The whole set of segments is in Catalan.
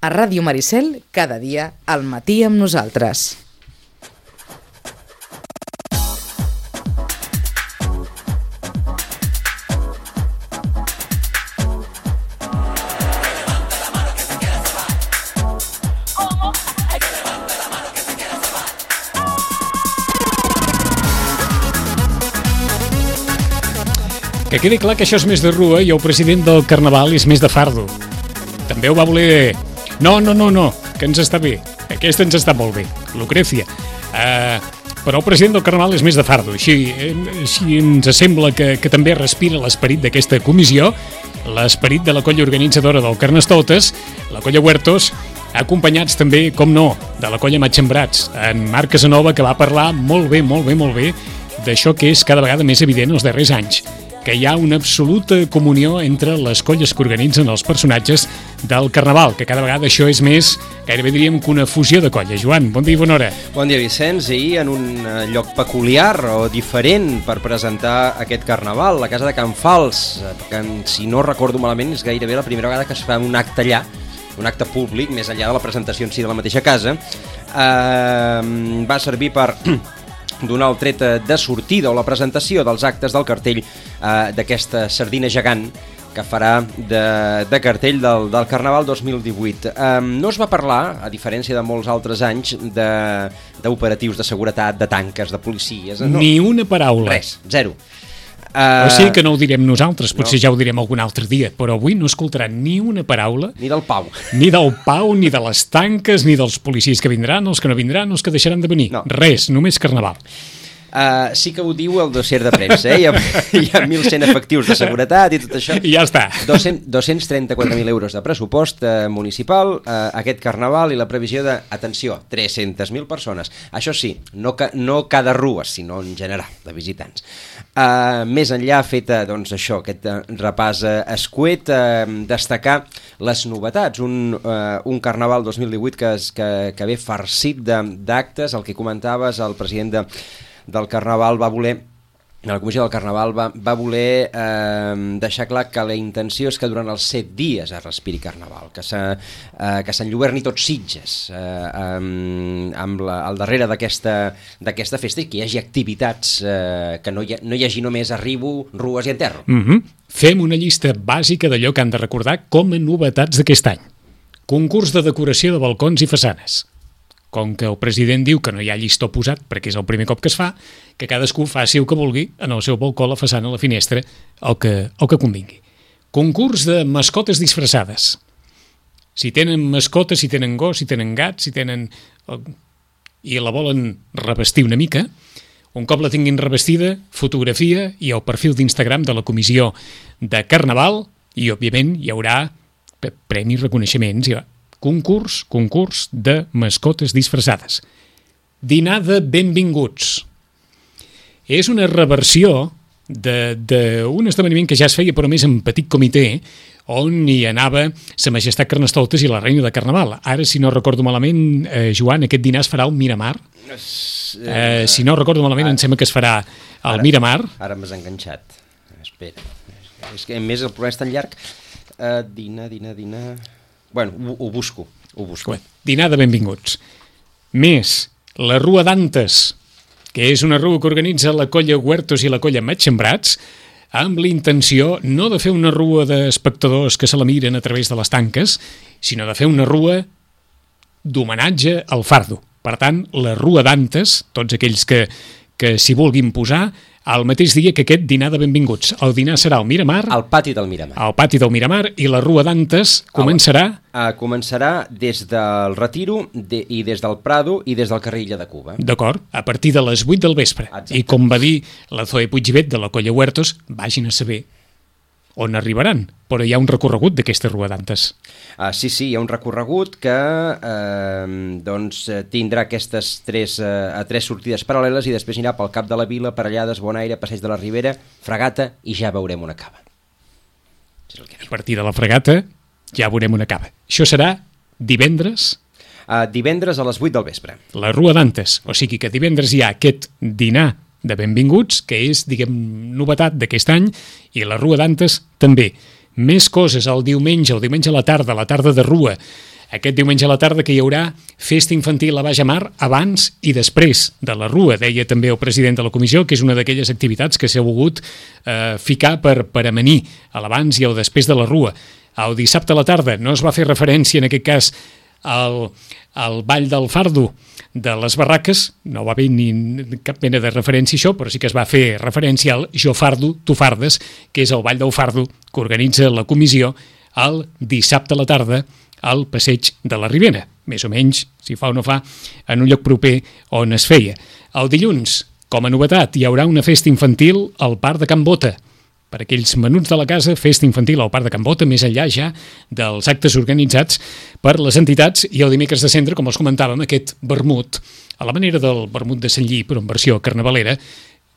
A Ràdio Maricel, cada dia, al matí amb nosaltres. Que quedi clar que això és més de rua i el president del Carnaval és més de fardo. També ho va voler... No, que ens està bé. Aquesta ens està molt bé, Lucrecia. Però el president del Carnaval és més de fardo. Així ens sembla que també respira l'esperit d'aquesta comissió, l'esperit de la colla organitzadora del Carnestoltes, la colla Huertos, acompanyats també, com no, de la colla Matxembrats, en Marc Casanova, que va parlar molt bé d'això que és cada vegada més evident els darrers anys, que hi ha una absoluta comunió entre les colles que organitzen els personatges del Carnaval, que cada vegada això és més, gairebé diríem que una fusió de colles. Joan, bon dia i bona hora. Bon dia, Vicenç, i en un lloc peculiar o diferent per presentar aquest Carnaval, la casa de Can Fals, que si no recordo malament és gairebé la primera vegada que es fa un acte allà, un acte públic, més enllà de la presentació en si de la mateixa casa. Va servir per donar el tret de sortida o la presentació dels actes del cartell d'aquesta sardina gegant que farà de cartell del Carnaval 2018. No es va parlar, a diferència de molts altres anys, d'operatius de seguretat, de tanques, de policies. No. Ni una paraula. Res, zero. O sigui que no ho direm nosaltres, potser ja ho direm algun altre dia, però avui no escoltaran ni una paraula. Ni del Pau. Ni del Pau, ni de les tanques, ni dels policies que vindran, els que no vindran, els que deixaran de venir. No. Res, només Carnaval. Sí que ho diu el dossier de premsa, hi ha 1.100 efectius de seguretat i tot això. I ja està. 234.000 euros de pressupost municipal, aquest Carnaval, i la previsió de, atenció, 300.000 persones. Això sí, no cada rua, sinó en general, de visitants. Més enllà, feta doncs, això, aquest repàs escuet, destacar les novetats. Un Carnaval 2018 que ve farcit d'actes, el que comentaves, el president del Carnaval va voler, la comissió del Carnaval va voler deixar clar que la intenció és que durant els 7 dies es respiri Carnaval, que s'enlluerni tot Sitges al darrere d'aquesta festa, i que hi hagi activitats, que no hi hagi només arribo, rues i enterro. Fem una llista bàsica d'allò que han de recordar com a novetats d'aquest any. Concurs de decoració de balcons i façanes. Com que el president diu que no hi ha llistó posat, perquè és el primer cop que es fa, que cadascú faci el que vulgui en el seu balcó, la façana, la finestra, el que convingui. Concurs de mascotes disfressades. Si tenen mascotes, si tenen gos, si tenen gats, i la volen revestir una mica, un cop la tinguin revestida, fotografia i el perfil d'Instagram de la comissió de Carnaval, i òbviament hi haurà premis, reconeixements, concurs de mascotes disfressades. Dinar de benvinguts. És una reversió d'un esdeveniment que ja es feia, però més en petit comitè, on hi anava Sa Majestat Carnestoltes i la Reina de Carnaval. Ara, si no recordo malament, Joan, aquest dinar es farà al Miramar. Si no recordo malament, em sembla que es farà al Miramar. Ara m'has enganxat. Espera. És que, a més, el programa és tan llarg. Dinar... Bueno, ho busco. Dinar de benvinguts. Més, la Rua d'Antes, que és una rua que organitza la colla Huertos i la colla Matxembrats, amb la intenció no de fer una rua d'espectadors que se la miren a través de les tanques, sinó de fer una rua d'homenatge al fardo. Per tant, la Rua d'Antes, tots aquells que s'hi vulguin posar, el mateix dia que aquest dinar de benvinguts. El dinar serà al Miramar. Al pati del Miramar. Al pati del Miramar, i la Rua d'Antes començarà... Començarà des del Retiro i des del Prado i des del carrer Illa de Cuba. D'acord, a partir de les 8 del vespre. Exacte. I com va dir la Zoe Puigvet de la colla Huertos, vagin a saber on arribaran, però hi ha un recorregut d'aquesta Rua d'Antes. Sí, hi ha un recorregut que tindrà aquestes tres sortides paral·leles, i després anirà pel Cap de la Vila, Parellades, Bonaire, Passeig de la Ribera, Fregata, i ja veurem on acaba. A partir de la Fregata ja veurem on acaba. Això serà divendres? Divendres a les 8 del vespre. La Rua d'Antes, o sigui que divendres hi ha aquest dinar de benvinguts, que és, diguem, novetat d'aquest any, i la Rua d'Antes també. Més coses el diumenge a la tarda de Rua, Aquest diumenge a la tarda que hi haurà festa infantil a Baix Amar abans i després de la Rua, deia també el president de la comissió, que és una d'aquelles activitats que s'ha volgut ficar per amanir a l'abans i al després de la Rua. El dissabte a la tarda no es va fer referència en aquest cas al ball del fardo de les barraques, no va haver ni cap mena de referència a això, però sí que es va fer referència al Jo fardo, tu fardes, que és el ball del fardo que organitza la comissió el dissabte a la tarda al passeig de la Ribera, més o menys, si fa o no fa, en un lloc proper on es feia. El dilluns, com a novetat, hi haurà una festa infantil al Parc de Can Bota. Per aquells menuts de la casa, festa infantil al Parc de Can Bota, més enllà ja dels actes organitzats per les entitats, i el dimecres de Cendra, com els comentàvem, aquest vermut, a la manera del vermut de Sant Lli, però en versió carnavalera,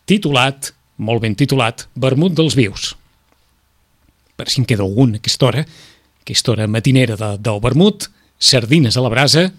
titulat, molt ben titulat, Vermut dels Vius. Per si en queda algun a aquesta hora matinera del vermut, sardines a la brasa,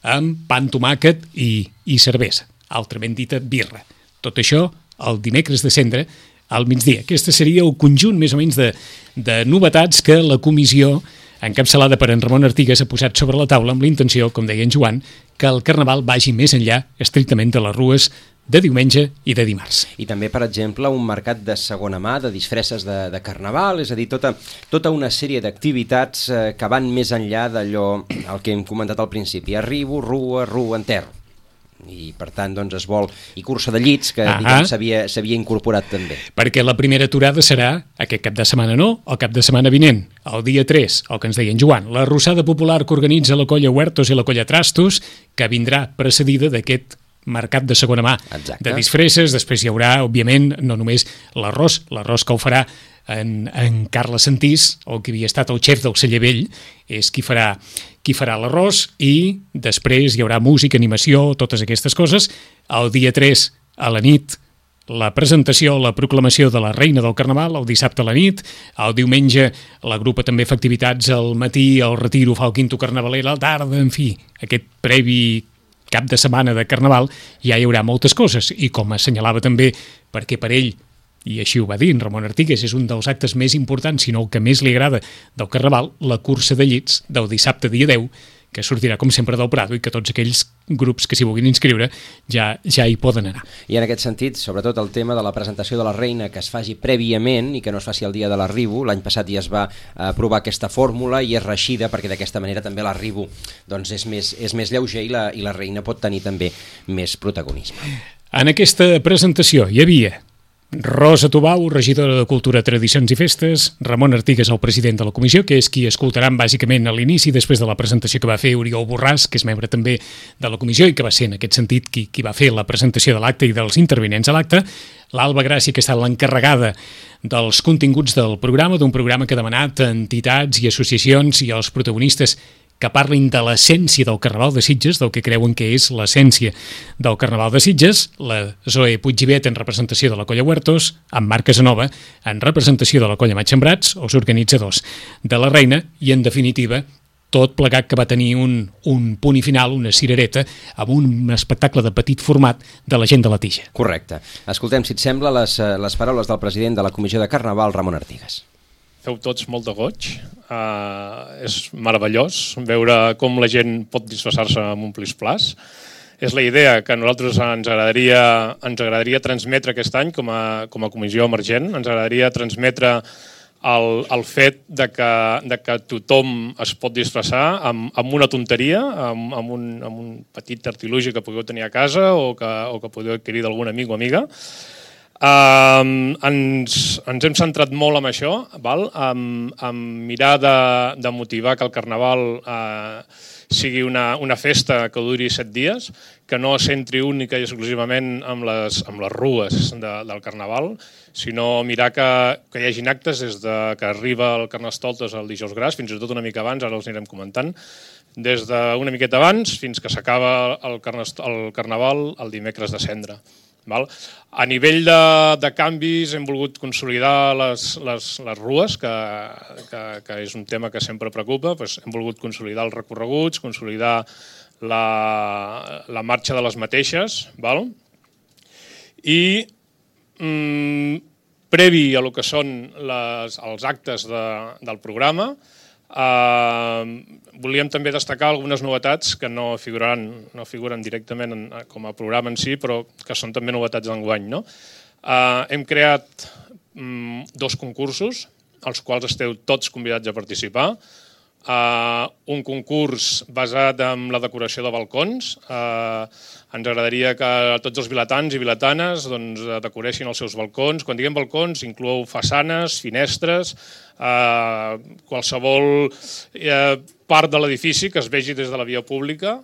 amb pa amb tomàquet i cervesa, altrament dita birra. Tot això el dimecres de Cendra, al migdia. Aquesta seria el conjunt més o menys de novetats que la comissió, encapçalada per en Ramon Artigas, ha posat sobre la taula amb la intenció, com deia en Joan, que el Carnaval vagi més enllà estrictament de les rues de diumenge i de dimarts. I també, per exemple, un mercat de segona mà, de disfresses de Carnaval, és a dir, tota una sèrie d'activitats que van més enllà d'allò el que hem comentat al principi. Arribo, rua, enterro. I per tant doncs es vol, i cursa de llits que s'havia incorporat també, perquè la primera aturada serà aquest cap de setmana, el cap de setmana vinent, el dia 3, el que ens deia en Joan, la rossada popular que organitza la colla Huertos i la colla Trastos, que vindrà precedida d'aquest mercat de segona mà. Exacte. De disfresses. Després hi haurà, òbviament, no només l'arròs que ho farà en Carles Santís, o que havia estat el xef del Celler Vell, és qui farà l'arròs, i després hi haurà música, animació, totes aquestes coses. El dia 3, a la nit, la presentació, la proclamació de la reina del Carnaval, el dissabte a la nit. El diumenge la grupa també fa activitats al matí, el retiro fa el quinto carnavaler a la tarda, en fi, aquest previ cap de setmana de Carnaval ja hi haurà moltes coses, i com assenyalava també, perquè per ell, i així ho va dir en Ramon Artigas, és un dels actes més importants, sinó el que més li agrada del Carnaval, la cursa de llits del dissabte dia 10, que sortirà com sempre del Prado, i que tots aquells grups que s'hi vulguin inscriure ja hi poden anar. I en aquest sentit, sobretot el tema de la presentació de la reina, que es faci prèviament i que no es faci el dia de l'arribo. L'any passat ja es va aprovar aquesta fórmula i és reeixida, perquè d'aquesta manera també l'arribo doncs és més lleuger i la reina pot tenir també més protagonisme. En aquesta presentació hi havia Rosa Tubau, regidora de Cultura, Tradicions i Festes, Ramon Artigas, el president de la comissió, que és qui escoltaran bàsicament a l'inici, després de la presentació que va fer Oriol Borràs, que és membre també de la comissió i que va ser en aquest sentit qui va fer la presentació de l'acte i dels intervinents a l'acte, l'Alba Gràcia, que ha estat l'encarregada dels continguts del programa, d'un programa que ha demanat a entitats i associacions i als protagonistes que parlin de l'essència del Carnaval de Sitges, del que creuen que és l'essència del Carnaval de Sitges, la Zoe Puiggivet en representació de la colla Huertos, en Marc Casanova en representació de la colla Matxembrats, els organitzadors de la reina, i en definitiva tot plegat que va tenir un punt i final, una cirereta, amb un espectacle de petit format de la gent de la Tija. Correcte. Escoltem, si et sembla, les paraules del president de la Comissió de Carnaval, Ramon Artigas. Feu tots molt de goig, és meravellós veure com la gent pot disfressar-se amb un plis-plas. És la idea que a nosaltres ens agradaria transmetre aquest any com a comissió emergent. Ens agradaria transmetre el fet de que tothom es pot disfressar amb una tonteria, amb un petit artilugi que pugueu tenir a casa o que podeu adquirir d'algun amic o amiga. Ens hem centrat molt en això, en mirar de motivar que el Carnaval sigui una festa que duri 7 dies, que no es centri única i exclusivament amb les rues del Carnaval, sinó mirar que hi hagin actes des que arriba el Carnestoltes el dijous gras, fins i tot una mica abans, ara els anirem comentant, des d'una miqueta abans fins que s'acaba el Carnaval el dimecres de Cendra. A nivell de canvis hem volgut consolidar les rues, que és un tema que sempre preocupa. Hem volgut consolidar els recorreguts, consolidar la marxa de les mateixes. I previ a lo que són els actes del programa, Volíem també destacar algunes novetats que no figuren directament com a programa en si, però que són també novetats d'enguany. Hem creat 2 concursos, als quals esteu tots convidats a participar. Un concurs basat en la decoració de balcons. Ens agradaria que tots els vilatans i vilatanes decoreixin els seus balcons. Quan diguem balcons, inclou façanes, finestres, qualsevol part de l'edifici que es vegi des de la via pública,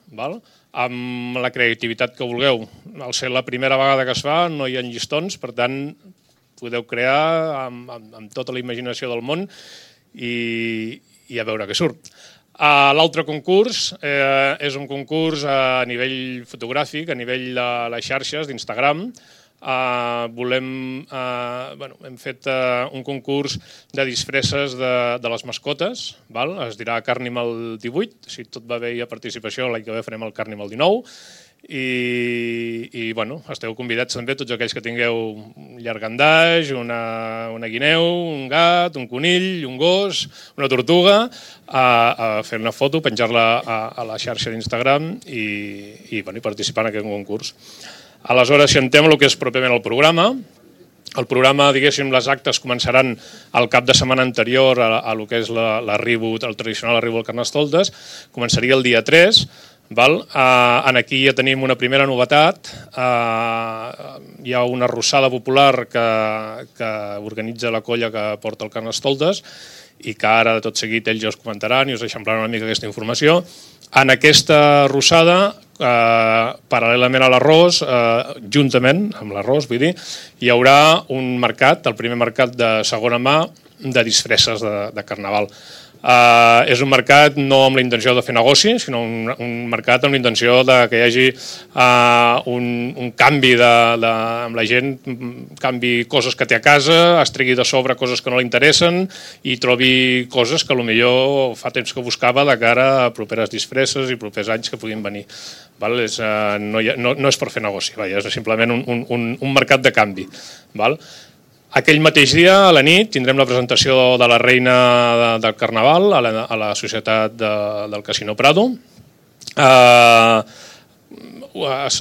amb la creativitat que vulgueu. Al ser la primera vegada que es fa, no hi ha llistons, per tant, podeu crear amb tota la imaginació del món i a veure què surt. L'altre concurs és un concurs a nivell fotogràfic, a nivell de les xarxes d'Instagram. Hem fet un concurs de disfresses de les mascotes, es dirà Carnival 18, si tot va bé hi ha participació, l'any que ve farem el Carnival 19, i esteu convidats també tots aquells que tingueu un llargandaix, una guineu, un gat, un conill, un gos, una tortuga, a fer una foto, penjar-la a la xarxa d'Instagram i participar en aquest concurs. Aleshores, si entrem el que és pròpiament el programa, diguéssim, les actes començaran el cap de setmana anterior a lo que és l'arribo, el tradicional arribo al Carnestoltes, començaria el dia 3, aquí ja tenim una primera novetat. Hi ha una arrossada popular que organitza la colla que porta el Carnestoltes i que ara de tot seguit ells ja us comentaran i us eixamplaran una mica aquesta informació. En aquesta arrossada, paral·lelament a l'arròs, juntament amb l'arròs, vull dir, hi haurà un mercat, el primer mercat de segona mà de disfresses de Carnaval. És un mercat no amb la intenció de fer negoci, sinó un mercat amb la intenció que hi hagi un canvi amb la gent, canvi coses que té a casa, es tregui de sobre coses que no li interessen i trobi coses que potser fa temps que buscava de cara a properes disfresses i propers anys que puguin venir. No és per fer negoci, és simplement un mercat de canvi. Aquell mateix dia, a la nit, tindrem la presentació de la reina del Carnaval a la Societat del Casino Prado. Es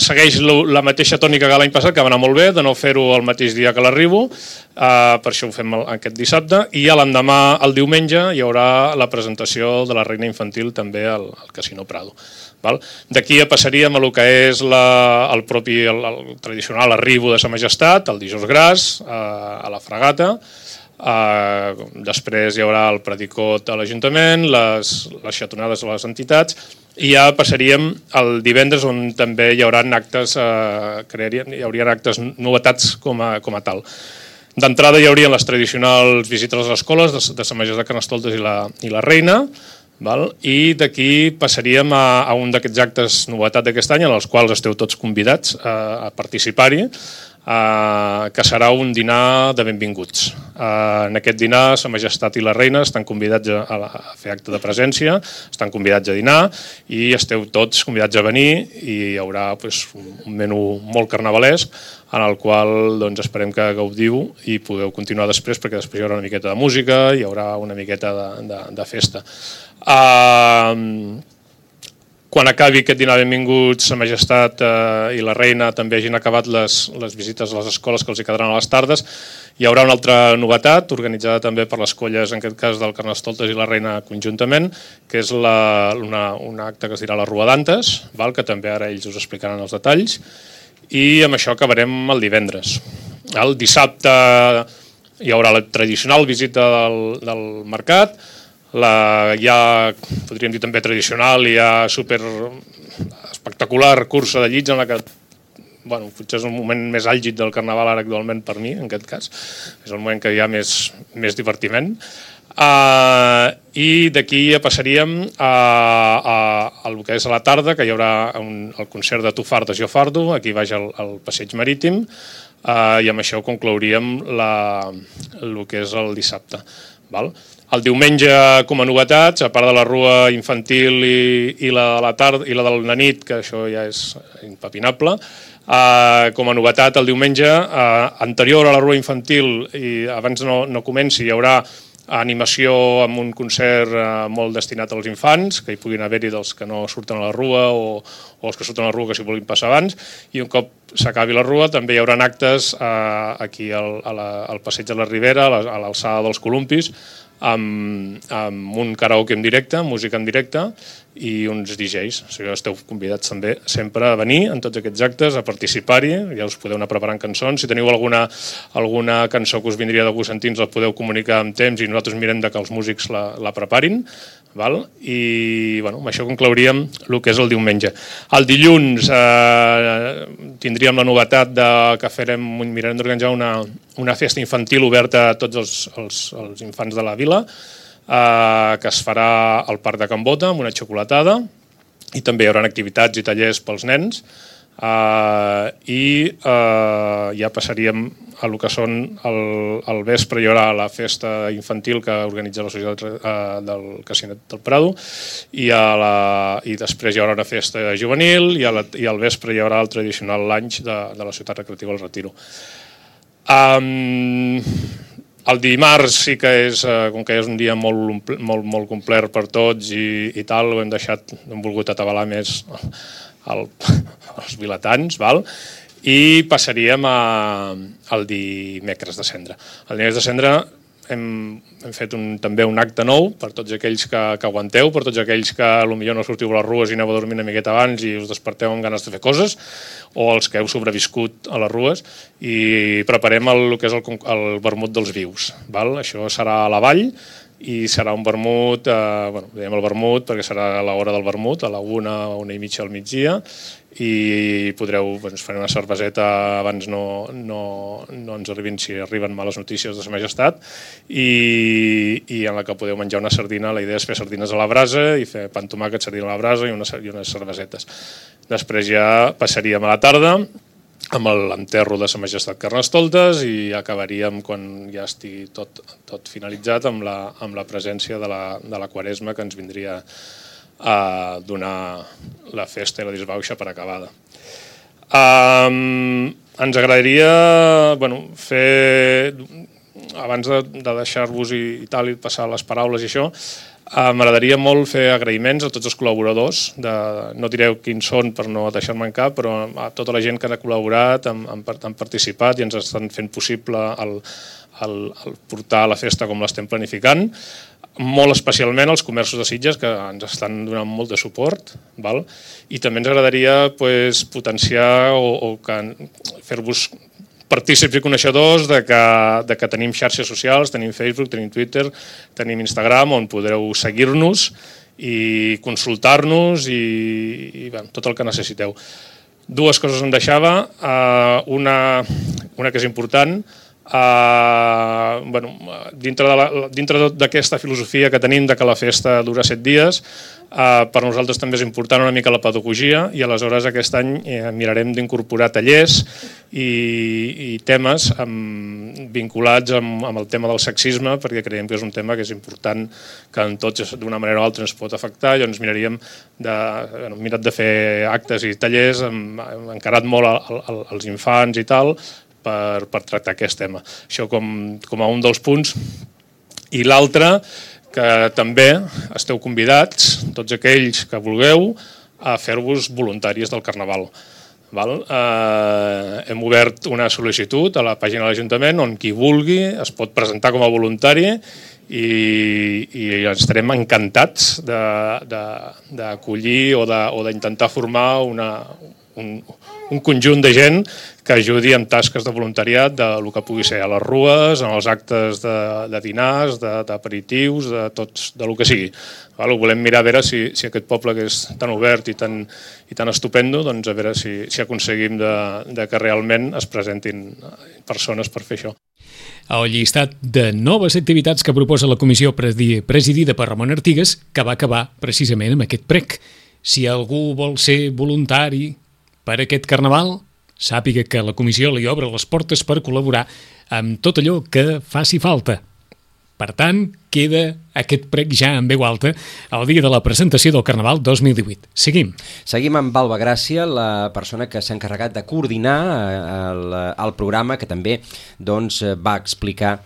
segueix la mateixa tònica que l'any passat, que va anar molt bé, de no fer-ho el mateix dia que l'arribo, per això ho fem aquest dissabte, i l'endemà, el diumenge, hi haurà la presentació de la reina infantil també al Casino Prado. D'aquí passaríem a el que és el tradicional arribo de Sa Majestat, el dijous gras, a la Fragata. Després hi haurà el predicot a l'Ajuntament, les xatonades a les entitats, i ja passaríem el divendres on també hi haurien actes novetats com a tal. D'entrada hi haurien les tradicionals visites a les escoles de Sa Majestat Carnestoltes i la reina, i d'aquí passaríem a un d'aquests actes novetat d'aquest any en els quals esteu tots convidats a participar-hi, que serà un dinar de benvinguts. En aquest dinar Sa Majestat i la reina estan convidats a fer acte de presència, estan convidats a dinar i esteu tots convidats a venir i hi haurà un menú molt carnavalesc en el qual esperem que gaudiu i podeu continuar després, perquè després hi haurà una miqueta de música, hi haurà una miqueta de festa. Quan acabi aquest dinar benvinguts, Sa Majestat i la reina també hagin acabat les visites a les escoles que els hi quedaran a les tardes, hi haurà una altra novetat organitzada també per les colles, en aquest cas del Carnestoltes i la reina conjuntament, que és un acte que es dirà la Rua d'Antes, que també ara ells us explicaran els detalls, i amb això acabarem el divendres. El dissabte hi haurà la tradicional visita del mercat, ja podríem dir també tradicional i ja super espectacular cursa de llits en la que potser és el moment més àlgid del Carnaval ara actualment per mi, en aquest cas. És el moment que hi ha més divertiment. I d'aquí ja passaríem al que és a la tarda, que hi haurà el concert de Tu fardes, jo fardo, aquí baix al passeig marítim, i amb això conclouríem el que és el dissabte. El diumenge, com a novetats, a part de la rua infantil i la de la tarda i la de la nit, que això ja és impepinable, com a novetat el diumenge, anterior a la rua infantil i abans no comenci, hi haurà animació amb un concert molt destinat als infants, que hi puguin haver-hi dels que no surten a la rua o els que surten a la rua que s'hi vulguin passar abans, i un cop s'acabi la rua també hi haurà actes aquí al passeig de la Ribera, a l'alçada dels Columpis, amb un karaoke en directe, música en directe i uns DJs. O sigui, esteu convidats també sempre a venir en tots aquests actes, a participar-hi, ja us podeu anar preparant cançons. Si teniu alguna cançó que us vindria de gust sentir, ens la podeu comunicar amb temps i nosaltres mirem que els músics la preparin. Val? I amb això conclouríem el que és el diumenge. El dilluns tindríem la novetat que mirarem d'organitzar una festa infantil oberta a tots els infants de la vila, que es farà al Parc de Can Bota amb una xocolatada, i també hi haurà activitats i tallers pels nens, i ja passaríem a el que són el vespre. Hi haurà la festa infantil que organitza la Societat del Casinet del Prado, i després hi haurà una festa juvenil, i al vespre hi haurà el tradicional lunch de la Ciutat Recreativa del Retiro. El dimarts sí que és, com que és un dia molt complet per tots i tal, hem volgut atabalar més els vilatans, val? I passaríem al dimecres de Cendra. El dimecres de Cendra hem fet també un acte nou per tots aquells que aguanteu, per tots aquells que potser no sortiu a les rues i aneu a dormir una miqueta abans i us desperteu amb ganes de fer coses, o els que heu sobreviscut a les rues, i preparem el que és el vermut dels vius. Això serà a la vall, i serà un vermut, dèiem el vermut perquè serà a l'hora del vermut, a la 1:30 al migdia, i podreu, ens farem una cerveseta abans no ens arribin, si arriben males notícies de Sa Majestat, i en la que podeu menjar una sardina. La idea és fer sardines a la brasa i fer pa amb tomàquet, sardina a la brasa i unes cervesetes. Després ja passaríem a la tarda amb l'enterro de Sa Majestat Carnestoltes, i acabaríem, quan ja estigui tot finalitzat, amb la presència de la Quaresma, que ens vindria a donar la festa i la disbauxa per acabada. Ens agradaria fer, abans de deixar-vos i tal, i passar les paraules i això, m'agradaria molt fer agraïments a tots els col·laboradors, no direu quins són per no deixar-me en cap, però a tota la gent que ha col·laborat, han participat i ens estan fent possible el portar la festa com l'estem planificant, molt especialment als comerços de Sitges, que ens estan donant molt de suport, i també ens agradaria potenciar o fer-vos partícips i coneixedors de que tenim xarxes socials, tenim Facebook, tenim Twitter, tenim Instagram, on podreu seguir-nos i consultar-nos i tot el que necessiteu. Dues coses em deixava, una que és important. Dintre d'aquesta filosofia que tenim de que la festa dura 7 dies, per nosaltres també és important una mica la pedagogia, i aleshores aquest any mirarem d'incorporar tallers i temes vinculats amb el tema del sexisme, perquè creiem que és un tema que és important, que en tots d'una manera o altra ens pot afectar. Llavors hem mirat de fer actes i tallers, hem encarat molt als infants i tal, per tractar aquest tema. Això com a un dels punts. I l'altre, que també esteu convidats, tots aquells que vulgueu, a fer-vos voluntaris del Carnaval. Hem obert una sol·licitud a la pàgina de l'Ajuntament on qui vulgui es pot presentar com a voluntari, i estarem encantats d'acollir o d'intentar formar un conjunt de gent que ajudi amb tasques de voluntariat del que pugui ser a les rues, en els actes de dinars, d'aperitius, del que sigui. Ho volem mirar a veure si aquest poble, que és tan obert i tan estupendo, doncs a veure si aconseguim que realment es presentin persones per fer això. El llistat de noves activitats que proposa la comissió presidida per Ramon Artigas, que va acabar precisament amb aquest prec. Si algú vol ser voluntari per aquest Carnaval, sàpiga que la comissió li obre les portes per col·laborar amb tot allò que faci falta. Per tant, queda aquest prec ja en veu alta el dia de la presentació del Carnaval 2018. Seguim. Seguim amb Alba Gràcia, la persona que s'ha encarregat de coordinar el programa, que també va explicar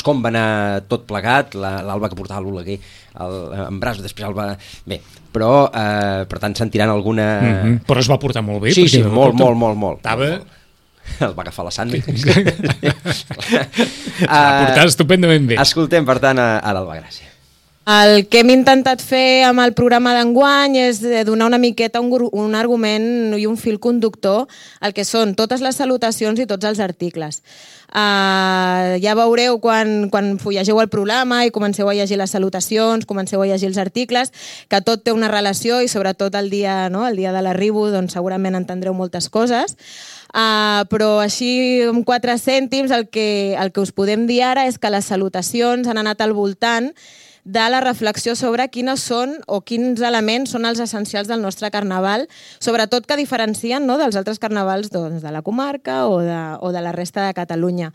com va anar tot plegat, l'Alba que portava l'Oleguer en braços, després Alba... Bé, però per tant sentiran alguna... Però es va portar molt bé. Sí, molt. Estava... El va agafar la Sandra. Portar estupendament bé. Escoltem, per tant, a l'Alba Gràcia. El que hem intentat fer amb el programa d'enguany és donar una miqueta un argument i un fil conductor al que són totes les salutacions i tots els articles. Ja veureu quan llegeu el programa i comenceu a llegir les salutacions, comenceu a llegir els articles, que tot té una relació i sobretot el dia de l'arribo segurament entendreu moltes coses. Però així amb 4 cèntims el que us podem dir ara és que les salutacions han anat al voltant de la reflexió sobre quines són o quins elements són els essencials del nostre carnaval, sobretot que diferencien dels altres carnavals de la comarca o de la resta de Catalunya.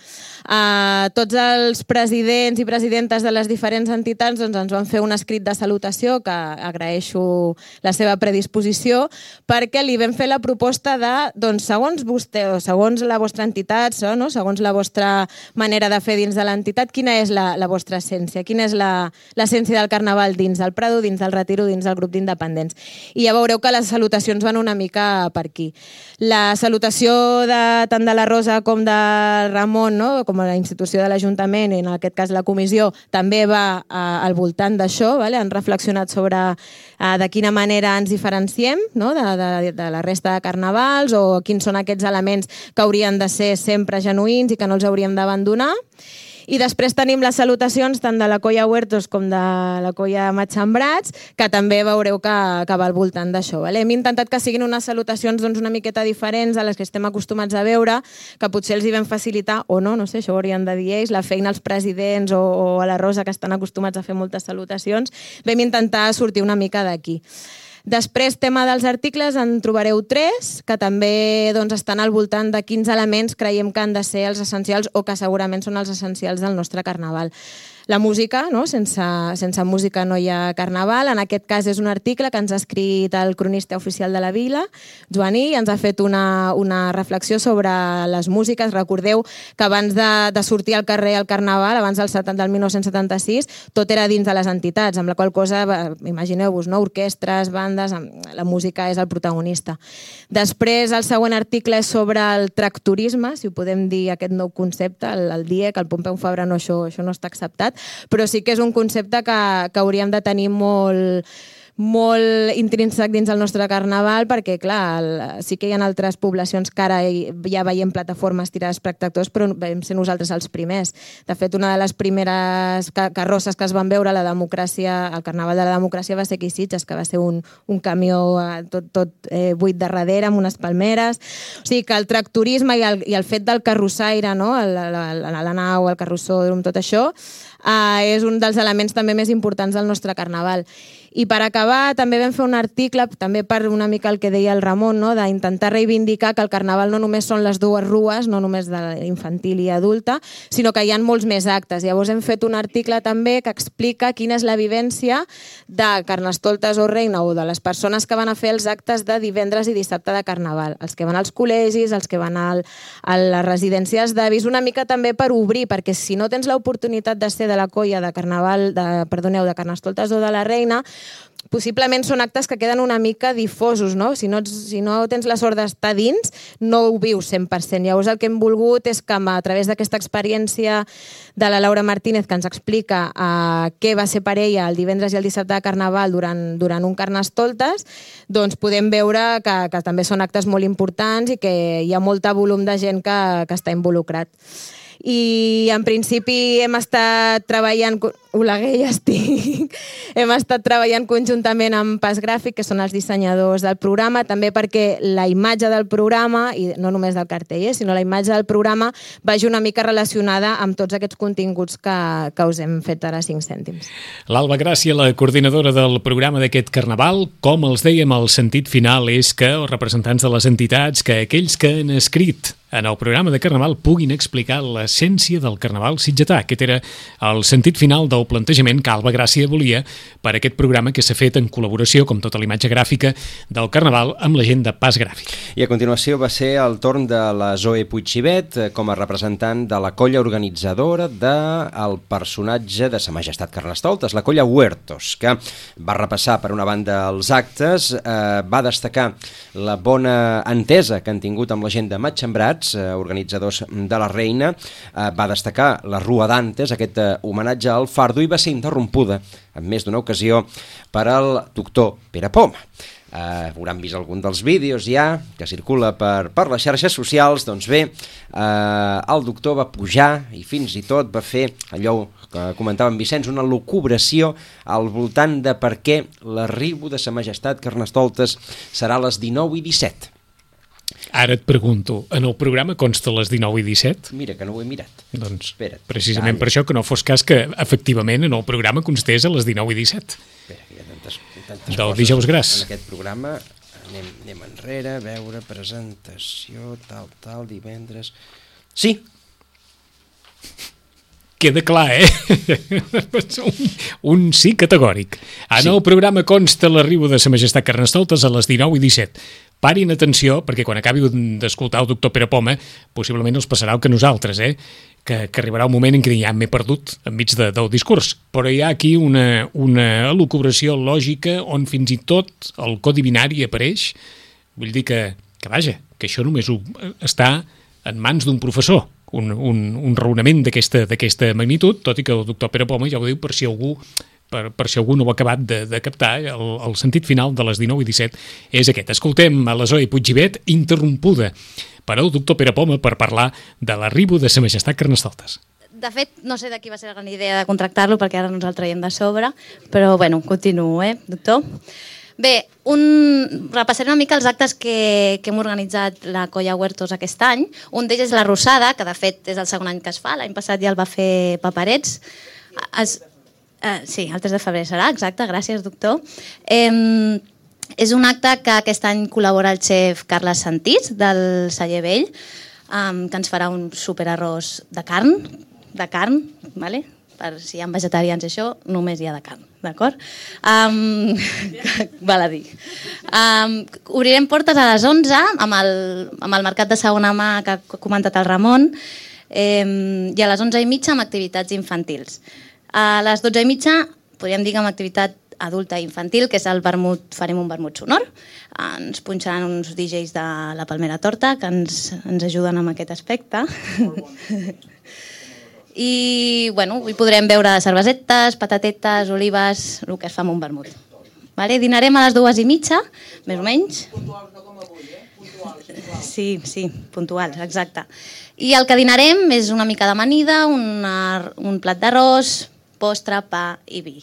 Tots els presidents i presidentes de les diferents entitats ens van fer un escrit de salutació, que agraeixo la seva predisposició, perquè li vam fer la proposta de, segons vostè, o segons la vostra entitat, segons la vostra manera de fer dins de l'entitat, quina és la vostra essència, quina és l'essència del carnaval dins del Prado, dins del Retiro, dins del grup d'independents. I ja veureu que les salutacions van una mica per aquí. La salutació tant de la Rosa com de Ramon, com a la institució de l'Ajuntament, i en aquest cas la comissió, també va al voltant d'això. Han reflexionat sobre de quina manera ens diferenciem de la resta de carnavals o quins són aquests elements que haurien de ser sempre genuïns i que no els hauríem d'abandonar. I després tenim les salutacions tant de la Colla Huertos com de la Colla Matxembrats, que també veureu que va al voltant d'això. Hem intentat que siguin unes salutacions una miqueta diferents a les que estem acostumats a veure, que potser els hi vam facilitar, o no sé, això ho haurien de dir ells, la feina als presidents o a la Rosa, que estan acostumats a fer moltes salutacions. Vam intentar sortir una mica d'aquí. Després, tema dels articles, en trobareu 3, que també estan al voltant de quins elements creiem que han de ser els essencials o que segurament són els essencials del nostre carnaval. La música, sense música no hi ha carnaval. En aquest cas és un article que ens ha escrit el cronista oficial de la vila, Joaní, i ens ha fet una reflexió sobre les músiques. Recordeu que abans de sortir al carrer al carnaval, abans del 1976, tot era dins de les entitats, amb la qual cosa, imagineu-vos, orquestres, bandes, la música és el protagonista. Després, el següent article és sobre el tractorisme, si ho podem dir, aquest nou concepte, el DIEC, el Pompeu Fabra, això no està acceptat, però sí que és un concepte que hauríem de tenir molt intrínsec dins el nostre carnaval, perquè clar, sí que hi ha altres poblacions que ara ja veiem plataformes tirades per tractors, però vam ser nosaltres els primers. De fet, una de les primeres carrosses que es van veure el carnaval de la democràcia va ser aquí a Sitges, que va ser un camió tot buit de darrere, amb unes palmeres. O sigui que el tractorisme i el fet del carrossaire, la nau, el carrossòdrom, tot això, és un dels elements també més importants del nostre carnaval. I per acabar, també vam fer un article, també per una mica el que deia el Ramon, d'intentar reivindicar que el carnaval no només són les dues rues, no només de infantil i adulta, sinó que hi ha molts més actes. Llavors hem fet un article també que explica quina és la vivència de Carnestoltes o Reina o de les persones que van a fer els actes de divendres i dissabte de carnaval. Els que van als col·legis, els que van a les residències d'avis, una mica també per obrir, perquè si no tens l'oportunitat de ser de la colla de Carnestoltes o de la Reina, possiblement són actes que queden una mica difosos, no? Si no tens la sort d'estar dins, no ho vius 100%. Llavors el que hem volgut és que a través d'aquesta experiència de la Laura Martínez, que ens explica què va ser per ella el divendres i el dissabte de Carnaval durant un Carnestoltes, doncs podem veure que també són actes molt importants i que hi ha molt volum de gent que està involucrat. I en principi hem estat treballant... Oleguer, ja estic. Hem estat treballant conjuntament amb Pas Gràfic, que són els dissenyadors del programa, també perquè la imatge del programa, i no només del cartell, sinó la imatge del programa, vagi una mica relacionada amb tots aquests continguts que us hem fet ara 5 cèntims. L'Alba Gràcia, la coordinadora del programa d'aquest Carnaval, com els dèiem, el sentit final és que els representants de les entitats, que aquells que han escrit en el programa de Carnaval puguin explicar l'essència del Carnaval sitgetà. Aquest era el sentit final del plantejament que Alba Gràcia volia per aquest programa que s'ha fet en col·laboració, com tota la imatge gràfica, del Carnaval amb la gent de Pas Gràfic. I a continuació va ser el torn de la Zoe Puigxivet com a representant de la colla organitzadora del personatge de Sa Majestat Carnestoltes, la colla Huertos, que va repassar per una banda els actes, va destacar la bona entesa que han tingut amb la gent de Matxembrats, organitzadors de la Reina, va destacar la Rua d'Antes, aquest homenatge al fardo, i va ser interrompuda en més d'una ocasió per al doctor Pere Poma. Hauran vist algun dels vídeos ja que circula per les xarxes socials. Doncs bé, el doctor va pujar i fins i tot va fer allò que comentava en Vicenç, una lucubració al voltant de per què l'arribo de Sa Majestat Carnestoltes serà a les 19 i 17. Ara et pregunto, en el programa consta les 19 i 17? Mira, que no ho he mirat. Doncs Espera't, precisament per això, que no fos cas que efectivament en el programa constés a les 19 i 17. Espera, que hi ha tantes Del coses dijous gras. en aquest programa. Anem enrere, veure, presentació, tal, divendres... Sí! Queda clar, un sí categòric. En el programa consta l'arribo de Sa Majestat Carnestoltes a les 19 i 17. Parin atenció, perquè quan acabi d'escoltar el doctor Pere Poma, possiblement els passarà el que nosaltres, que arribarà un moment en què ja m'he perdut enmig del discurs. Però hi ha aquí una elucubració lògica on fins i tot el codi binari apareix. Vull dir que vaja, que això només està en mans d'un professor. Un raonament d'aquesta magnitud, tot i que el doctor Pere Poma ja ho diu per si algú no ho ha acabat de captar, el sentit final de les 19 i 17 és aquest. Escoltem a la Zoe Puigxivet, interrompuda per el doctor Pere Poma per parlar de l'arribo de Sa Majestat Carnestoltes. De fet, no sé de qui va ser la gran idea de contractar-lo, perquè ara no ens el traiem de sobre, però bueno, continuo, doctor? Bé, repassaré una mica els actes que hem organitzat la colla Huertos aquest any. Un d'ells és la Rosada, que de fet és el segon any que es fa. L'any passat ja el va fer Paperets. Sí, el 3 de febrer serà, exacte, gràcies, doctor. És un acte que aquest any col·labora el xef Carles Santís, del Celler Vell, que ens farà un superarròs de carn, vale? Per si hi ha vegetarians i això, només hi ha de carn, d'acord? Val a dir. Obrirem portes a les 11 amb el mercat de segona mà que ha comentat el Ramon, i a les 11:30 amb activitats infantils. A les 12:30 podríem dir que amb activitat adulta i infantil, que és el vermut, farem un vermut sonor. Ens punxaran uns DJs de la Palmera Torta que ens ajuden amb aquest aspecte. I bueno, hi podrem veure cervesetes, patatetes, olives, el que es fa amb un vermut. Vale? Dinarem a les 2:30, més o menys. Puntuals, no com avui, Puntuals. Sí, puntuals, exacte. I el que dinarem és una mica d'amanida, un plat d'arròs, postre, pa i vi.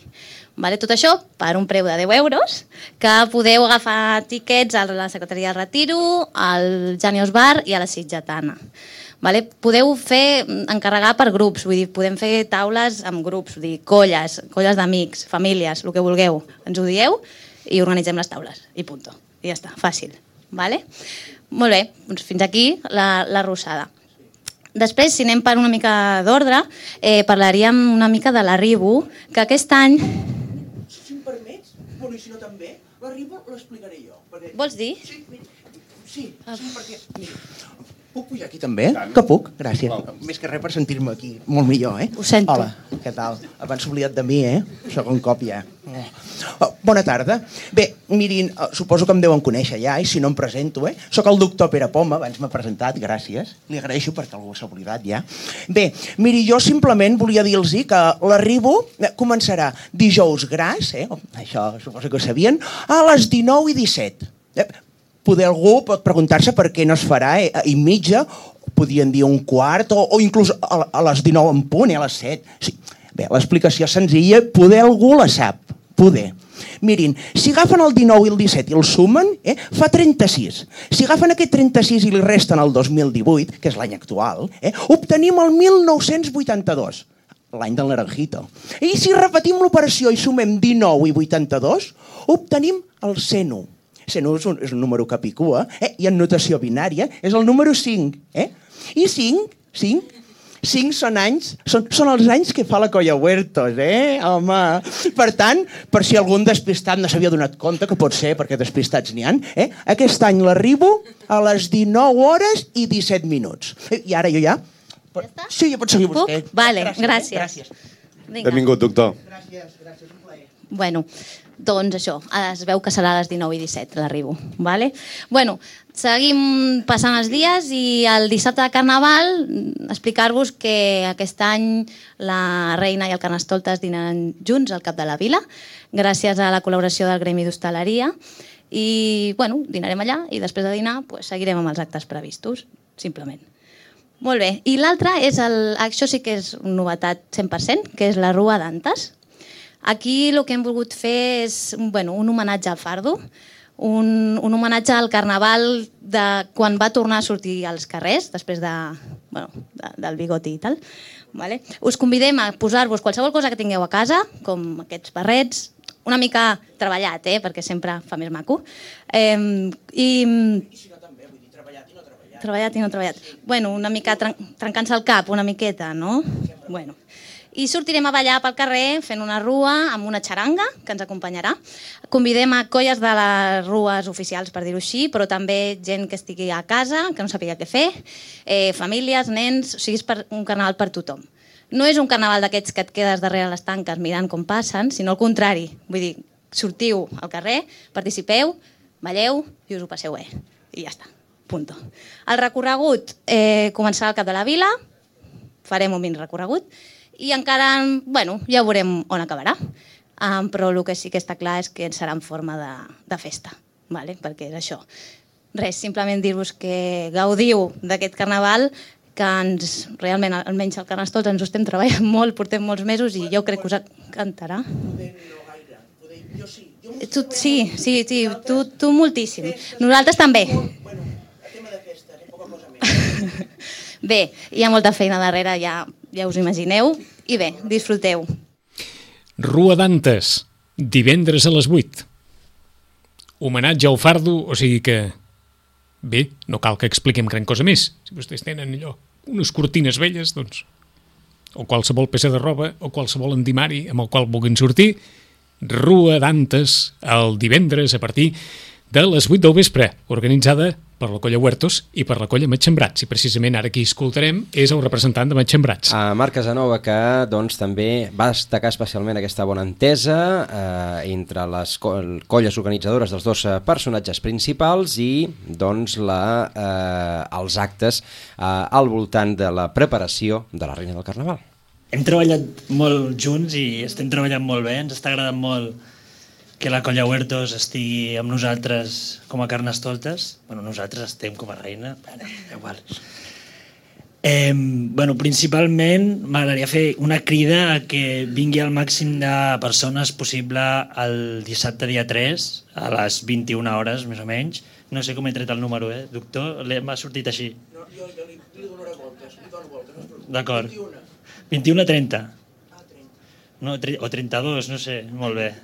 Vale? Tot això per un preu de 10 euros, que podeu agafar tiquets a la Secretaria de Retiro, al Janios Bar i a la Sitgetana. Vale? Podeu encarregar per grups, vull dir, podem fer taules amb grups, vull dir, colles d'amics, famílies, el que vulgueu. Ens ho dieu i organitzem les taules. I punto. I ja està, fàcil. Vale? Molt bé, doncs fins aquí la Rosada. Després, si anem per una mica d'ordre, parlaríem una mica de l'arribo, que aquest any... Si em permets, bueno, i si no també, l'arribo l'explicaré jo. Perquè... Vols dir? Sí, perquè... Mira, puc pujar aquí també? Que puc? Gràcies. Més que res per sentir-me aquí molt millor, Ho sento. Hola, què tal? Abans s'ha oblidat de mi, Segon cop ja. Bona tarda. Bé, mirin, suposo que em deuen conèixer ja, i si no em presento, Soc el doctor Pere Poma, abans m'ha presentat, gràcies. Li agraeixo perquè algú s'ha oblidat ja. Bé, miri, jo simplement volia dir-los que l'arribo començarà dijous gras, això suposo que ho sabien, a les 19 i 17. Poder algú pot preguntar-se per què no es farà i mitja, podien dir un quart, o inclús a les 19 en punt, a les 7. Sí. Bé, l'explicació senzilla, poder algú la sap, poder. Mirin, si agafen el 19 i el 17 i el sumen, fa 36. Si agafen aquest 36 i li resten el 2018, que és l'any actual, obtenim el 1982. L'any del Naranjito. I si repetim l'operació i sumem 19 i 82, obtenim el 101. 101 és un número capicua, i en notació binària és el número 5. I 5 són anys, són els anys que fa la Colla Huertos, home. Per tant, per si algun despistat no s'havia donat compte, que pot ser, perquè despistats n'hi ha, aquest any l'arribo a les 19 hores i 17 minuts. I ara jo ja... Ja està? Sí, ja pot seguir vostè. Vale, gràcies. Benvingut, doctor. Gràcies, un plaer. Bueno, doncs això, es veu que serà a les 19 i 17 l'arribo, vale? Bueno, seguim passant els dies i el dissabte de Carnaval explicar-vos que aquest any la Reina i el Carnestoltes dinaran junts al Cap de la Vila, gràcies a la col·laboració del Gremi d'Hostaleria, i bueno, dinarem allà i després de dinar seguirem amb els actes previstos, simplement. Molt bé, i l'altre és, això sí que és una novetat 100%, que és la Rua d'Antes. Aquí el que hem volgut fer és un homenatge al fardo, un homenatge al Carnaval de quan va tornar a sortir als carrers, després del bigoti i tal. Vale? Us convidem a posar-vos qualsevol cosa que tingueu a casa, com aquests barrets, una mica treballat, perquè sempre fa més maco. Treballat i no treballat. Bueno, una mica trencant-se el cap, una miqueta, no? Bueno. I sortirem a ballar pel carrer fent una rua amb una xaranga que ens acompanyarà. Convidem a colles de les rues oficials, per dir-ho així, però també gent que estigui a casa, que no sàpiga què fer, famílies, nens, o sigui, és un carnaval per tothom. No és un carnaval d'aquests que et quedes darrere les tanques mirant com passen, sinó al contrari. Vull dir, sortiu al carrer, participeu, balleu i us ho passeu bé. I ja està. Punto. El recorregut començarà al Cap de la Vila, farem un mini recorregut, i encara, ja veurem on acabarà. Però el que sí que està clar és que serà en forma de festa, perquè és això. Res, simplement dir-vos que gaudiu d'aquest carnaval, que realment, almenys al Carnestoltes, ens ho estem treballant molt, portem molts mesos i jo crec que us encantarà. Sí, tu moltíssim. Nosaltres també. Bé, hi ha molta feina darrere, ja us imagineu, i bé, disfruteu. Rua d'Antes, divendres a les 8. Homenatge al fardo, o sigui que... Bé, no cal que expliquem gran cosa més. Si vostès tenen allò, unes cortines velles, doncs... O qualsevol peça de roba, o qualsevol endimari amb el qual vulguin sortir, Rua d'Antes, el divendres a partir de les 8 del vespre, organitzada per la Colla Huertos i per la Colla Matxembrats. I precisament ara qui escoltarem és el representant de Matxembrats. Marc Casanova, que també va destacar especialment aquesta bona entesa entre les colles organitzadores dels dos personatges principals i els actes al voltant de la preparació de la Reina del Carnaval. Hem treballat molt junts i estem treballant molt bé, ens està agradant molt que la Colla Huertos estigui amb nosaltres com a Carnestoltes. Nosaltres estem com a Reina, igual. Principalment m'agradaria fer una crida a que vingui el màxim de persones possible el dissabte dia 3 a les 21 hores, més o menys. No sé com he tret el número, doctor? M'ha sortit així. No, jo li donaré voltes, D'acord. 21 a 30. No, o 32, no sé, molt bé.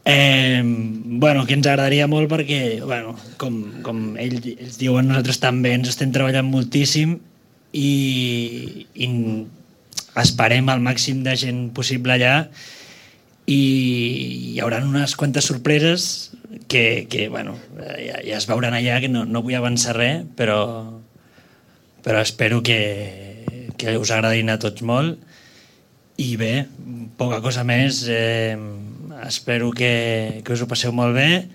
Que ens agradaria molt perquè, com ells diuen, nosaltres també ens estem treballant moltíssim i esperem el màxim de gent possible allà i hi haurà unes quantes sorpreses que ja es veuran allà, que no vull avançar res, però espero que us agradin a tots molt i bé, poca cosa més. Espero que us ho passeu molt bé.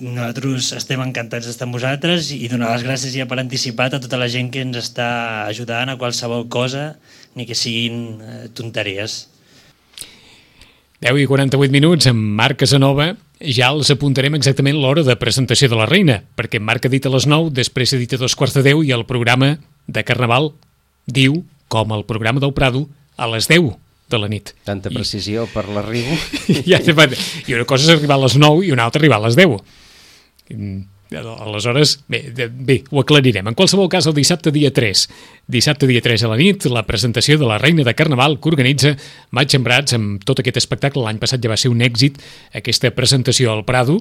Nosaltres estem encantats d'estar amb vosaltres i donar les gràcies ja per anticipat a tota la gent que ens està ajudant a qualsevol cosa, ni que siguin tonteries. 10 i 48 minuts amb Marc Casanova. Ja els apuntarem exactament l'hora de presentació de la Reina, perquè Marc ha dit a les 9, després ha dit a 2:45 i el programa de Carnaval diu, com el programa del Prado, a les 10 de la nit. Tanta precisió per l'arribo. I una cosa és arribar a les 9 i una altra arribar a les 10. Aleshores, bé, ho aclarirem. En qualsevol cas, el dissabte dia 3 a la nit, la presentació de la Reina de Carnaval que organitza Maig Sembrats amb tot aquest espectacle. L'any passat ja va ser un èxit aquesta presentació al Prado,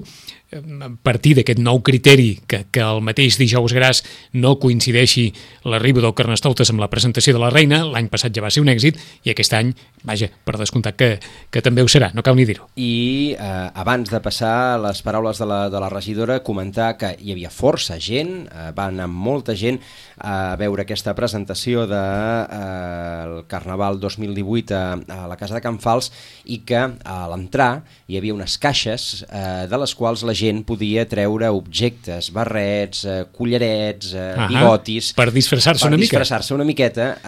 a partir d'aquest nou criteri que el mateix dijous gras no coincideixi l'arribo del Carnestoltes amb la presentació de la Reina. L'any passat ja va ser un èxit i aquest any, vaja, per descomptat que també ho serà, no cal ni dir-ho. I abans de passar les paraules de la regidora, comentar que hi havia força gent, va anar molta gent a veure aquesta presentació del Carnaval 2018 a la Casa de Can Fals, i que a l'entrar hi havia unes caixes de les quals la gent podia treure objectes, barrets, collarets, bigotis... Per disfressar-se una mica. Per disfressar-se una miqueta,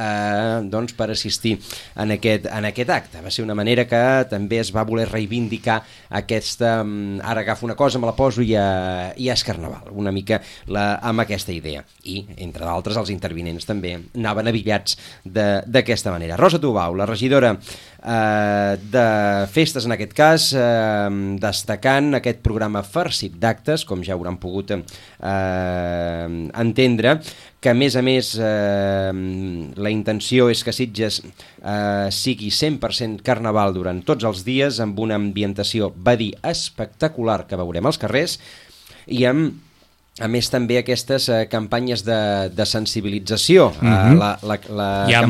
doncs per assistir en aquest acte. Va ser una manera que també es va voler reivindicar aquesta... Ara agafo una cosa, me la poso i és Carnaval, una mica amb aquesta idea. I, entre d'altres, els intervinents també anaven avillats d'aquesta manera. Rosa Tubau, la regidora de festes en aquest cas, destacant aquest programa farcit d'actes, com ja hauran pogut entendre, que a més la intenció és que Sitges sigui 100% carnaval durant tots els dies, amb una ambientació, va dir, espectacular que veurem als carrers, i amb a més també aquestes campanyes de sensibilització. Hi ha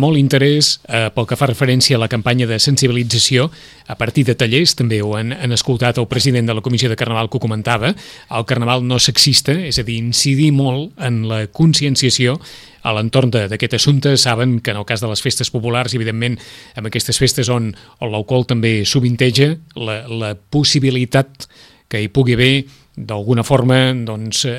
molt interès pel que fa referència a la campanya de sensibilització a partir de tallers. També ho han escoltat el president de la Comissió de Carnaval, que ho comentava. El Carnaval no sexista, és a dir, incidir molt en la conscienciació a l'entorn d'aquest assumpte. Saben que en el cas de les festes populars, evidentment, amb aquestes festes on l'alcohol també sovinteja, la possibilitat que hi pugui haver d'alguna forma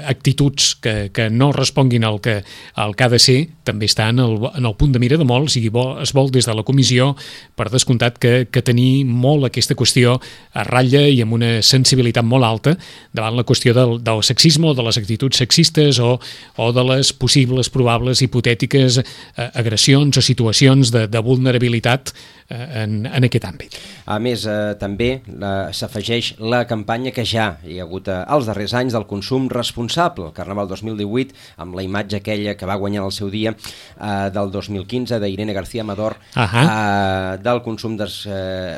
actituds que no responguin al que ha de ser, també està en el punt de mira de molts, i es vol des de la comissió, per descomptat, que tenir molt aquesta qüestió a ratlla i amb una sensibilitat molt alta davant la qüestió del sexisme o de les actituds sexistes o de les possibles, probables, hipotètiques agressions o situacions de vulnerabilitat en aquest àmbit. A més, també s'afegeix la campanya que ja hi ha hagut als darrers anys del consum responsable, el Carnaval 2018, amb la imatge aquella que va guanyar el seu dia del 2015 d'Irene García Amador, del consum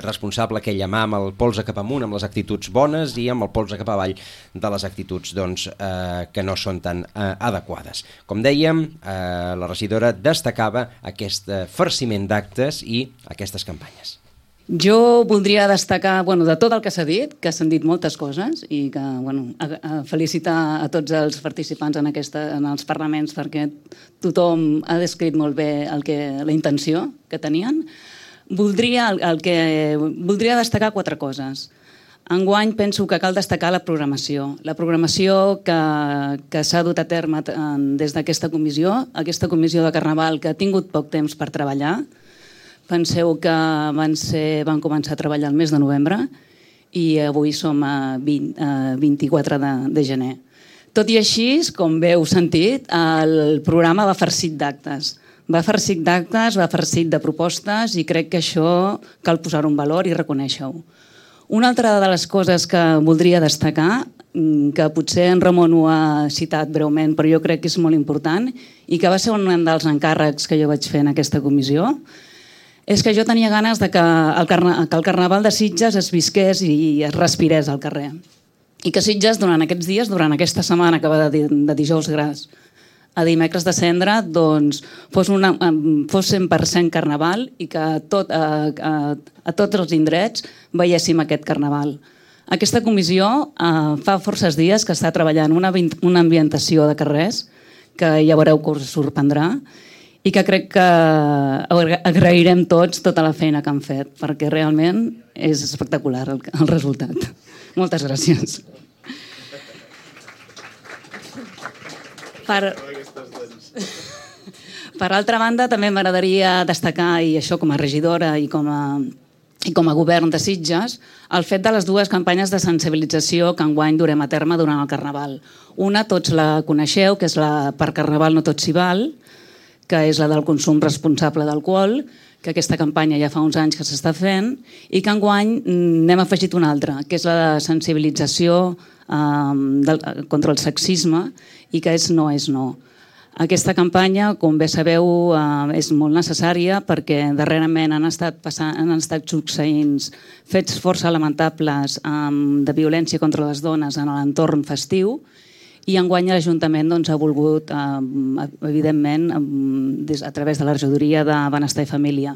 responsable, aquella mà amb el polze cap amunt, amb les actituds bones, i amb el polze cap avall de les actituds que no són tan adequades. Com dèiem, la regidora destacava aquest farciment d'actes i aquestes campanyes. Jo voldria destacar, de tot el que s'ha dit, que s'han dit moltes coses, i que felicitar a tots els participants en els parlaments, perquè tothom ha descrit molt bé la intenció que tenien. Voldria destacar 4 coses. Enguany penso que cal destacar la programació. La programació que s'ha dut a terme des d'aquesta comissió de Carnaval, que ha tingut poc temps per treballar. Penseu que van començar a treballar el mes de novembre i avui som a 24 de gener. Tot i així, com bé heu sentit, el programa va farcit d'actes. Va farcit de propostes, i crec que això cal posar-ho en valor i reconèixer-ho. Una altra de les coses que voldria destacar, que potser en Ramon ho ha citat breument, però jo crec que és molt important, i que va ser un dels encàrrecs que jo vaig fer en aquesta comissió, és que jo tenia ganes que el Carnaval de Sitges es visqués i es respirés al carrer. I que Sitges, durant aquests dies, durant aquesta setmana que va de dijous gras a dimecres de cendra, fos 100% Carnaval, i que a tots els indrets veiéssim aquest Carnaval. Aquesta comissió fa forces dies que està treballant una ambientació de carrers, que ja veureu que us sorprendrà, i que crec que agrairem tots tota la feina que han fet, perquè realment és espectacular el resultat. Moltes gràcies. Per altra banda, també m'agradaria destacar, i això com a regidora i com a govern de Sitges, el fet de les 2 campanyes de sensibilització que enguany durem a terme durant el Carnaval. Una, tots la coneixeu, que és la Per Carnaval no tot s'hi val, que és la del consum responsable d'alcohol, que aquesta campanya ja fa uns anys que s'està fent, i que enguany n'hem afegit una altra, que és la de sensibilització contra el sexisme i que és no és no. Aquesta campanya, com bé sabeu, és molt necessària perquè darrerament han estat succeint fets força lamentables de violència contra les dones en l'entorn festiu i enguany l'Ajuntament ha volgut, evidentment, a través de la regidoria de Benestar i Família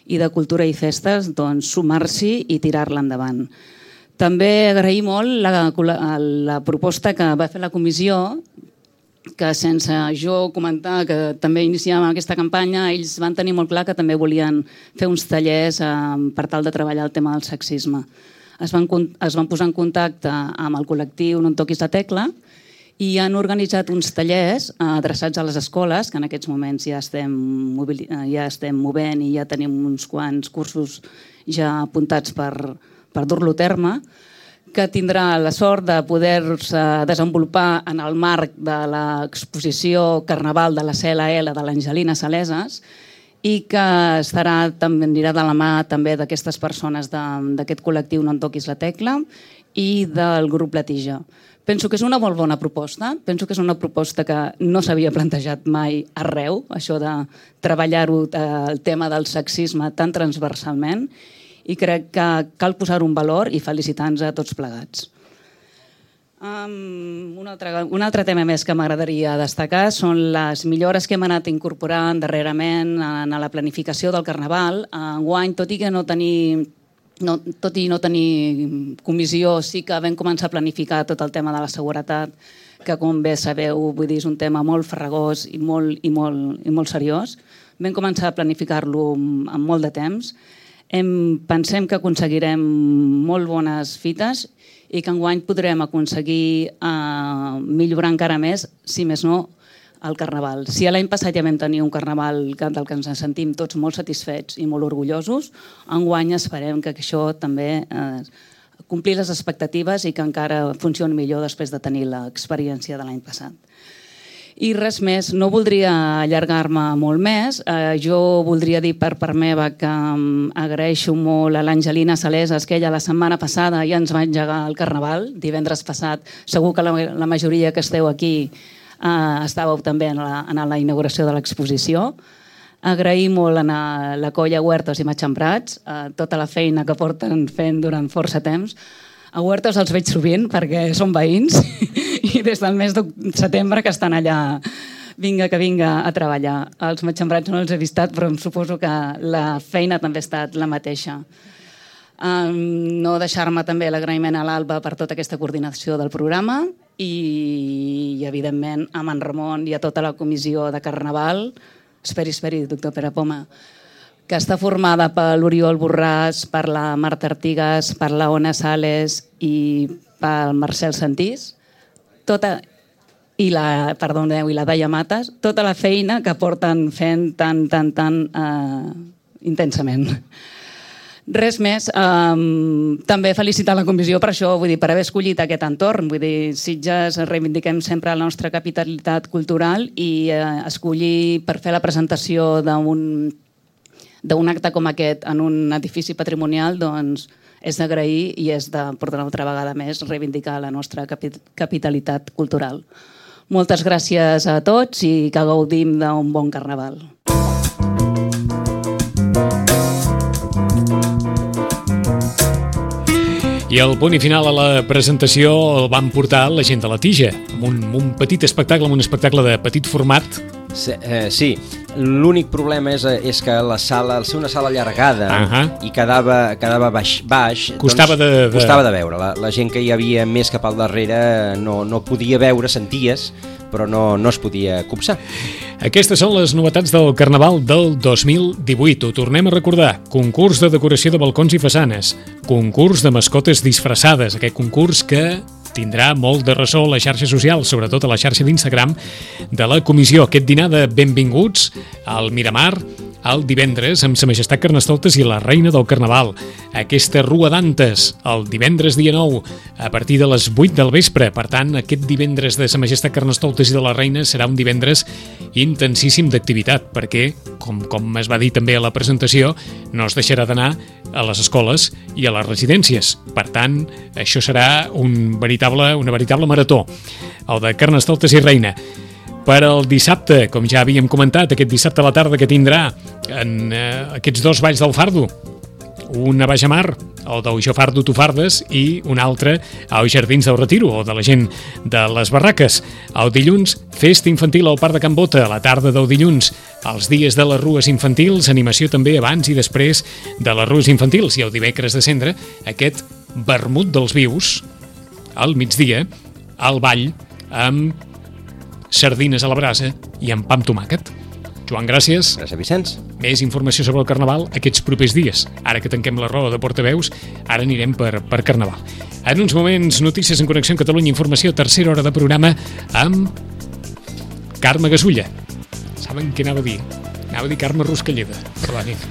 i de Cultura i Festes, sumar-s'hi i tirar-la endavant. També agrair molt la proposta que va fer la comissió, que sense jo comentar que també iniciàvem aquesta campanya, ells van tenir molt clar que també volien fer uns tallers per tal de treballar el tema del sexisme. Es van posar en contacte amb el col·lectiu No em toquis la tecla i han organitzat uns tallers adreçats a les escoles, que en aquests moments ja estem movent i ja tenim uns quants cursos ja apuntats per dur-lo a terme, que tindrà la sort de poder-se desenvolupar en el marc de l'exposició Carnaval de la CLL de l'Angelina Saleses i que anirà de la mà també d'aquestes persones d'aquest col·lectiu No em toquis la tecla i del grup La Tija. Penso que és una molt bona proposta, penso que és una proposta que no s'havia plantejat mai arreu, això de treballar-ho, el tema del sexisme tan transversalment, i crec que cal posar-ho en valor i felicitar-nos a tots plegats. Un altre tema més que m'agradaria destacar són les millores que hem anat incorporant darrerament en la planificació del Carnaval. Enguany, tot i no tenir comissió, sí que vam començar a planificar tot el tema de la seguretat, que com bé sabeu, vull dir, és un tema molt farragós i molt seriós. Vam començar a planificar-lo amb molt de temps. Pensem que aconseguirem molt bones fites i que enguany podrem aconseguir millorar encara més, si més no, el Carnaval. Si l'any passat ja vam tenir un Carnaval del que ens sentim tots molt satisfets i molt orgullosos, enguany esperem que això també complir les expectatives i que encara funcioni millor després de tenir l'experiència de l'any passat. I res més, no voldria allargar-me molt més. Jo voldria dir per part meva que agraeixo molt a l'Angelina Saleses, que ella la setmana passada ja ens va engegar el Carnaval, divendres passat. Segur que la majoria que esteu aquí estàveu també en la inauguració de l'exposició. Agrair molt a la colla Huertos i Matxembrats tota la feina que porten fent durant força temps. A Huertos els veig sovint perquè són veïns i des del mes de setembre que estan allà vinga a treballar. Els Matxembrats no els he vistat, però em suposo que la feina també ha estat la mateixa. No deixar-me també l'agraïment a l'Alba per tota aquesta coordinació del programa i evidentment, a en Ramon i a tota la comissió de Carnaval, esperi, doctor Pere Poma, que està formada per l'Oriol Borràs, per la Marta Artigas, per la Ona Sales i pel Marcel Santís, i la Daia Mates, tota la feina que porten fent tan intensament. Res més, també felicitar la comissió per això, vull dir, per haver escollit aquest entorn. Vull dir, Sitges reivindiquem sempre la nostra capitalitat cultural i escollir per fer la presentació d'un acte com aquest en un edifici patrimonial, doncs és d'agrair i és de, per una altra vegada més, reivindicar la nostra capitalitat cultural. Moltes gràcies a tots i que gaudim d'un bon Carnaval. I el punt i final a la presentació el van portar la gent de La Tija, amb un petit espectacle, amb un espectacle de petit format. Sí, l'únic problema és que la sala, al ser una sala allargada i quedava baix, costava de veure. La gent que hi havia més cap al darrere no podia veure, senties, però no es podia copsar. Aquestes són les novetats del Carnaval del 2018. Ho tornem a recordar. Concurs de decoració de balcons i façanes. Concurs de mascotes disfressades. Aquest concurs que tindrà molt de ressò a les xarxes socials, sobretot a la xarxa d'Instagram de la comissió. Aquest dinar de benvinguts al Miramar, el divendres amb Sa Majestat Carnestoltes i la Reina del Carnaval. Aquesta Rua d'Antes, el divendres dia 9, a partir de les 8 del vespre. Per tant, aquest divendres de Sa Majestat Carnestoltes i de la Reina serà un divendres intensíssim d'activitat, perquè, com es va dir també a la presentació, no es deixarà d'anar a les escoles i a les residències. Per tant, això serà una veritable marató, el de Carnestoltes i Reina. Per al dissabte, com ja havíem comentat, aquest dissabte a la tarda que tindrà en aquests dos balls del Fardo, una Baix a Mar, el del Jo Fardo, Tu Fardes, i un altre als Jardins del Retiro, o de la gent de les barraques. El dilluns, festa infantil al Parc de Can Bota, a la tarda del dilluns, els dies de les rues infantils, animació també abans i després de les rues infantils, i el dimecres de cendre, aquest vermut dels vius, al migdia, al ball, amb sardines a la brasa i amb pa amb tomàquet. Joan, gràcies. Gràcies, Vicenç. Més informació sobre el Carnaval aquests propers dies. Ara que tanquem la roda de portaveus, ara anirem per Carnaval. En uns moments, notícies en Connexió amb Catalunya, informació, tercera hora de programa amb Carme Gasulla. Saben què anava a dir? Anava a dir Carme Ruscalleda. Perdonin.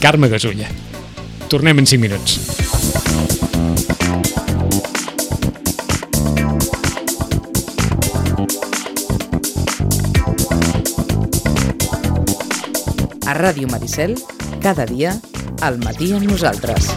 Carme Gasulla. Tornem en 5 minuts. A Ràdio Maricel, cada dia, al matí amb nosaltres.